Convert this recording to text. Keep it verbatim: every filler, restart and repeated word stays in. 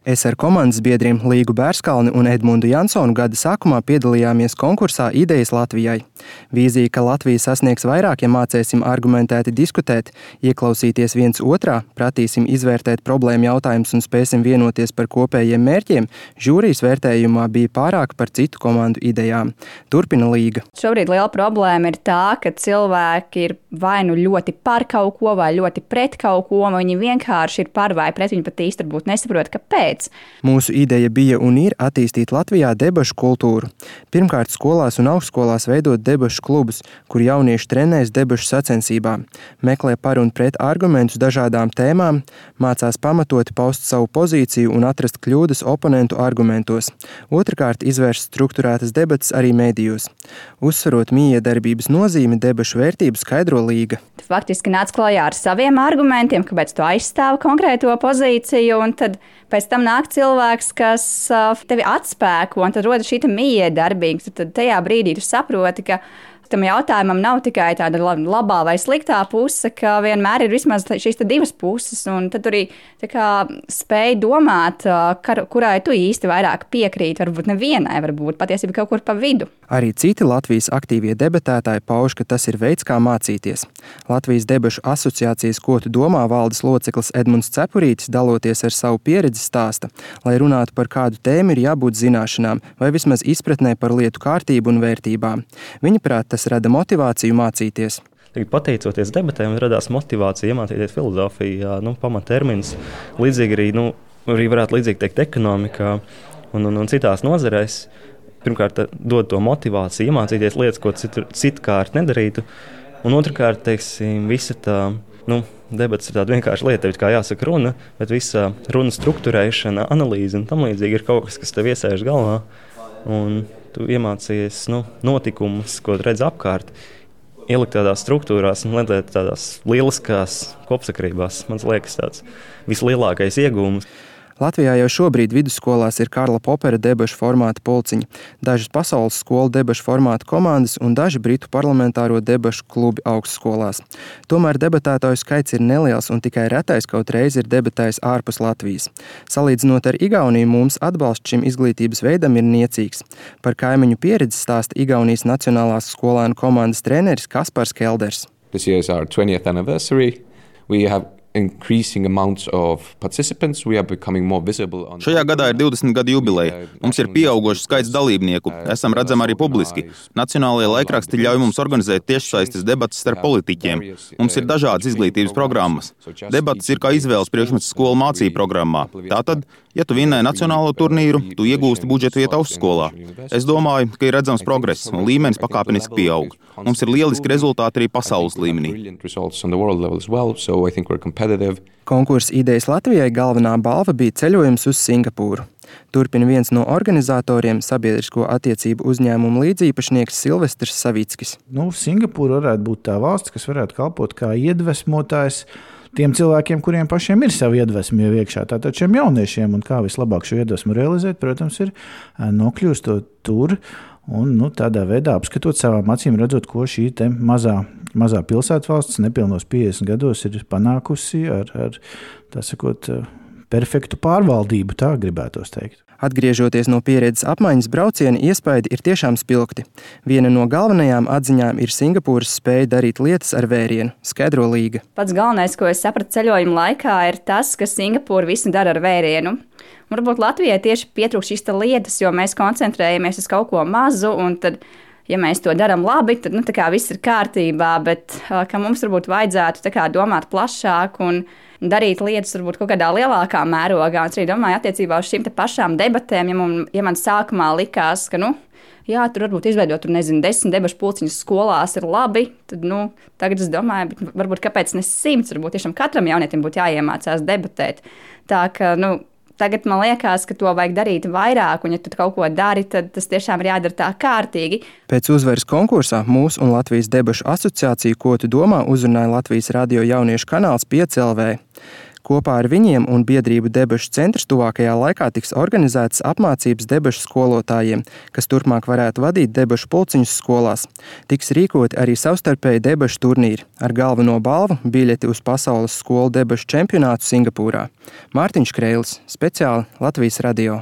Es ar komandas biedriem Līgu Bērskalni un Edmundu Jansonu gada sākumā piedalījāmies konkursā Idejas Latvijai. Vīzija, ka Latvija sasniegs vairāk, ja mācēsim argumentēti diskutēt, ieklausīties viens otrā, pratīsim izvērtēt problēmu jautājumus un spēsim vienoties par kopējiem mērķiem, žūrijas vērtējumā bija pārāk par citu komandu idejām. Turpina Līga. Šobrīd liela problēma ir tā, ka cilvēki ir vai nu ļoti par kaut ko, vai ļoti pret kaut ko, vai viņi vienkārši ir par vai pret, viņi pat īsti varbūt nesaprot, kāpēc. Mūsu ideja bija un ir attīstīt Latvijā debašu kultūru. Pirmkārt, skolās un augstskolās veidot debašu klubus, kur jaunieši trenēs debašu sacensībām, meklē par un pret argumentus dažādām tēmām, mācās pamatoti paust savu pozīciju un atrast kļūdas oponentu argumentos. Otrkārt, izvērst strukturētas debatas arī mēdījos. Uzsverot mijiedarbības nozīmi, debašu vērtību skaidro Līga. Faktiski nāc klajā ar saviem argumentiem, kāpēc tu aizstāvi konkrēto pozīciju, un tad pēc tam nāk cilvēks, kas tevi atspēko, un tad rodas šī mijiedarbība. Tad tajā brīdī tu saproti, ka tam jautājumam nav tikai tāda labā vai sliktā puse, ka vienmēr ir vismaz šīs divas puses, un tad arī spēj domāt, kurai tu īsti vairāk piekrīt, varbūt nevienai, varbūt patiesībā kaut kur pa vidu. Arī citi Latvijas aktīvie debatētāji pauž, ka tas ir veids, kā mācīties. Latvijas debašu asociācijas Ko tu domā valdes loceklis Edmunds Cepurītis, daloties ar savu pieredzi stāsta, lai runātu par kādu tēmu ir jābūt zināšanām vai vismaz izpratnē par lietu kārtību un vērtībām. Viņa prāt, tas rada motivāciju mācīties. Pateicoties debatēm, radās motivācija iemācīties filozofiju, nu, pamatterminus. Līdzīgi arī, nu, arī varētu līdzīgi teikt ekonomikā un, un, un citās nozarēs. Pirmkārt, dod to motivāciju iemācīties lietas, ko citu, citkārt nedarītu. Un otrkārt, teiksim, visa tā, nu, debats ir tāda vienkārša lieta, kā jāsaka runa, bet visa runa struktūrēšana, analīze un tam līdzīgi ir kaut kas, kas tev iesēž galvā. Un tu iemācījies, nu, notikumus, ko redz apkārt, ielikt tādās struktūrās un lietēt tādās lieliskās kopsakrībās. Man liekas, tāds vislielākais iegūms. Latvijā jau šobrīd vidusskolās ir Karla Popera debašu formāta pulciņi, dažas pasaules skolu debašu formāta komandas un daži britu parlamentāro debašu klubi augstskolās. Tomēr debatētāju skaits ir neliels un tikai retais kaut reiz ir debatējis ārpus Latvijas. Salīdzinot ar Igauniju, mums atbalsts šim izglītības veidam ir niecīgs. Par kaimiņu pieredzi stāsta Igaunijas Nacionālās skolēnu komandas treneris Kaspars Kelders. This year is our twentieth anniversary. We have increasing amounts of participants. We are becoming more visible on... Šajā gadā ir divdesmit gadu jubileja. Mums ir pieaugošs skaits dalībnieku. Esam redzami arī publiski. Nacionālajie laikraksti ļauj mums organizēt tiešsaistes debatas starp politiķiem. Mums ir dažādas izglītības programmas. Debatas ir kā izvēles priekšmets skolu mācību programmā. Tātad, ja tu vinnēji nacionālo turnīru, tu iegūsti budžetu vietu augstskolā. Es domāju, ka ir redzams progress un līmenis pakāpeniski pieaug. Mums ir lieliski rezultāti arī pasaules līmenī. Konkursa Idejas Latvijai galvenā balva bija ceļojums uz Singapūru. Turpina viens no organizatoriem, sabiedrisko attiecību uzņēmumu līdzīpašnieks Silvestrs Savickis. Nu, Singapūra varētu būt tā valsts, kas varētu kalpot kā iedvesmotājs tiem cilvēkiem, kuriem pašiem ir savi iedvesmi jau iekšā. Tātad šiem jauniešiem un kā vislabāk šo iedvesmu realizēt, protams, ir nokļūstot tur un nu, tādā veidā apskatot savām acīm, redzot, ko šī te mazā, mazā pilsētvalsts nepilnos piecdesmit gados ir panākusi ar, ar tā sakot, perfektu pārvaldību, tā gribētos teikt. Atgriežoties no pieredzes apmaiņas brauciena, iespaidi ir tiešām spilgti. Viena no galvenajām atziņām ir Singapūras spēja darīt lietas ar vērienu, skaidro Līga. Pats galvenais, ko es sapratu ceļojuma laikā, ir tas, ka Singapūra visu dara ar vērienu. Varbūt Latvijai tieši pietrūkst šīs lietas, jo mēs koncentrējamies uz kaut ko mazu, un tad, ja mēs to darām labi, tad nu, tā kā viss ir kārtībā, bet ka mums varbūt vajadzētu tā kā domāt plašāk un darīt lietas varbūt kaut kādā lielākā mērogā. Un es arī domāju attiecībā uz šīm te pašām debatēm, ja man, ja man sākumā likās, ka, nu, jā, tur varbūt izveidot, tur, nezinu, desmit debašu pulciņus skolās ir labi, tad, nu, tagad es domāju, bet varbūt kāpēc ne simts, varbūt tiešām katram jaunietim būtu jāiemācās debatēt. Tā ka, nu, tagad man liekas, ka to vajag darīt vairāk, un ja tu kaut ko dari, tad tas tiešām ir jādara tā kārtīgi. Pēc uzvaras konkursā mūsu un Latvijas debašu asociāciju Ko tu domā uzrunāja Latvijas radio jauniešu kanāls pieci L V. Kopā ar viņiem un biedrību debešu centrs tuvākajā laikā tiks organizētas apmācības debešu skolotājiem, kas turpmāk varētu vadīt debešu pulciņus skolās. Tiks rīkoti arī savstarpēji debešu turnīri ar galveno balvu biļeti uz pasaules skolu debešu čempionātu Singapūrā. Mārtiņš Kreilis, speciāli Latvijas radio.